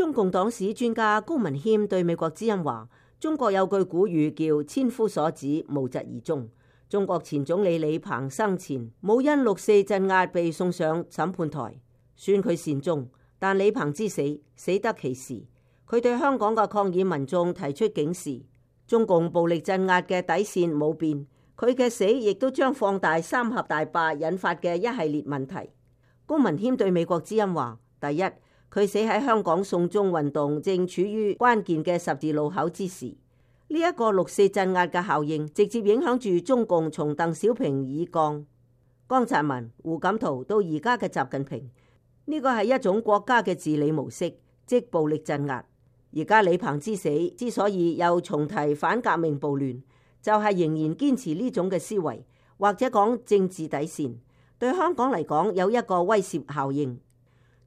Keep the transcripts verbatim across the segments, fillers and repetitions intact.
中共黨史專家高文謙對美國之音話：中國有句古語叫千夫所指，無疾而終。中國前總理李鵬生前冇因六四鎮壓被送上審判台，算佢善終。但李鵬之死死得其時，佢對香港嘅抗議民眾提出警示：中共暴力鎮壓嘅底線冇變，佢嘅死亦都將放大三峽大壩引發嘅一系列問題。高文謙對美國之音話：第一，佢死喺香港送中運動正處於關鍵嘅十字路口之時，呢、這、一個六四鎮壓嘅效應直接影響住中共從鄧小平以降、江澤民、胡錦濤到而家嘅習近平。呢、這個係一種國家嘅治理模式，即暴力鎮壓。而家李鵬之死之所以又重提反革命暴亂，就係、是、仍然堅持呢種嘅思維，或者講政治底線，對香港嚟講有一個威懾效應。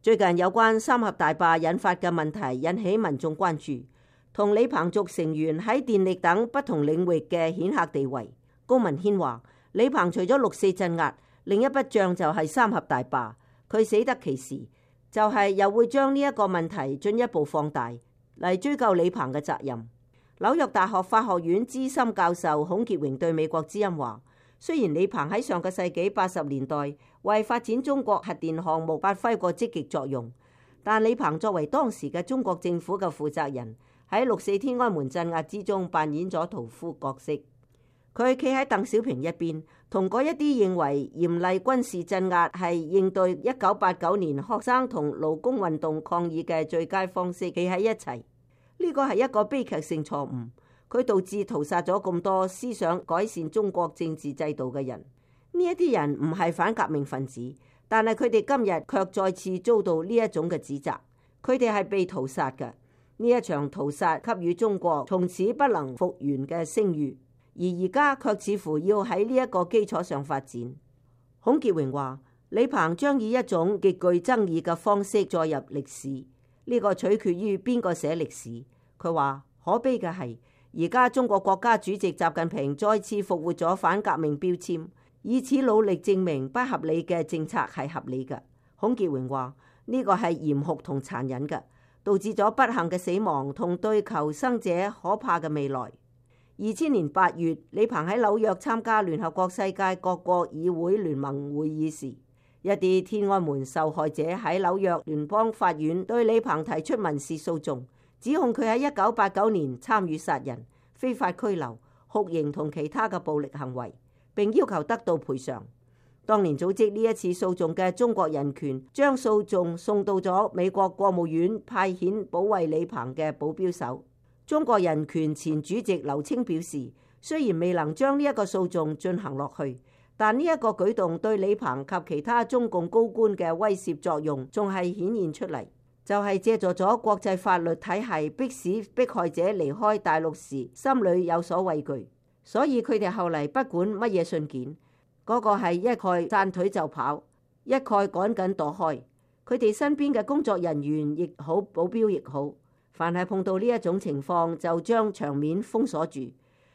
最近有關三峽大壩引發嘅問題引起民眾關注，同李鵬族成員喺電力等不同領域嘅顯赫地位。高文謙話：李鵬除咗六四鎮壓，另一筆帳就係三峽大壩。佢死得其時，就係、是、又會將呢一個問題進一步放大嚟追究李鵬嘅責任。紐約大學法學院資深教授孔傑榮對美國之音話：雖然李鵬喺上個世紀八十年代為發展中國核電項目發揮過積極作用，但李鵬作為當時嘅中國政府嘅負責人，喺六四天安門鎮壓之中扮演咗屠夫角色。佢企喺鄧小平一邊，同嗰一啲認為嚴厲軍事鎮壓係應對一九八九年學生同勞工運動抗議嘅最佳方式，企喺一齊。呢個係一個悲劇性錯誤，佢導致屠殺咗咁多思想改善中國政治制度嘅人。呢一啲人唔係反革命分子，但係佢哋今日卻再次遭到呢一種嘅指責。佢哋係被屠殺嘅。呢一場屠殺給予中國從此不能復原嘅聲譽。而而家卻似乎要喺呢一個基礎上發展。孔傑榮話：李鵬將以一種極具爭議嘅方式載入歷史，呢、這個取決於邊個寫歷史。佢話可悲嘅係，而家中國國家主席習近平再次復活咗反革命標籤，以此努力證明不合理嘅政策係合理嘅。孔傑榮話：呢、這個係嚴酷同殘忍嘅，導致咗不幸嘅死亡同對求生者可怕嘅未來。二千年八月，李鵬喺紐約參加聯合國世界各國議會聯盟會議時，一啲天安門受害者喺紐約聯邦法院對李鵬提出民事訴訟，指控佢喺一九八九年參與殺人、非法拘留、酷刑同其他嘅暴力行為，並要求得到賠償。當年組織呢一次訴訟嘅中國人權將訴訟送到咗美國國務院派遣保衛李鵬嘅保鏢手。中國人權前主席劉青表示，雖然未能將呢一個訴訟進行落去，但呢一個舉動對李鵬及其他中共高官嘅威懾作用仲係顯現出嚟，就係借助咗國際法律體系迫使迫害者離開大陸時心裏有所畏懼，所以佢哋後嚟不管乜嘢信件，嗰、那個係一概讚腿就跑，一概趕緊躲開。佢哋身邊嘅工作人員亦好，保鏢亦好，凡係碰到呢一種情況，就將場面封鎖住，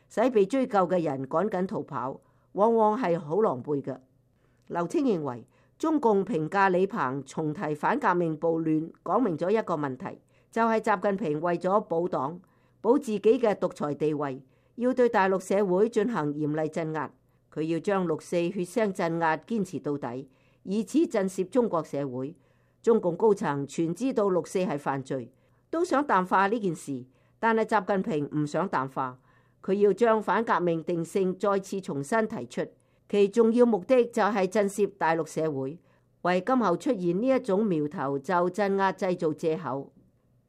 使被追究嘅人趕緊逃跑，往往係好狼狽嘅。劉青認為，中共評價李鵬重提反革命暴亂，講明咗一個問題，就係習近平為咗保黨、保自己嘅獨裁地位，要對大陸社會進行嚴厲鎮壓。佢要將六四血腥鎮壓堅持到底，以此震懾中國社會。中共高層全知道六四係犯罪，都想淡化呢件事，但係習近平唔想淡化，佢要將反革命定性再次重新提出，其重要目的就係震懾大陸社會，為今後出現呢一種苗頭就鎮壓製造藉口。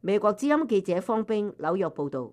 美國之音記者方冰紐約報道。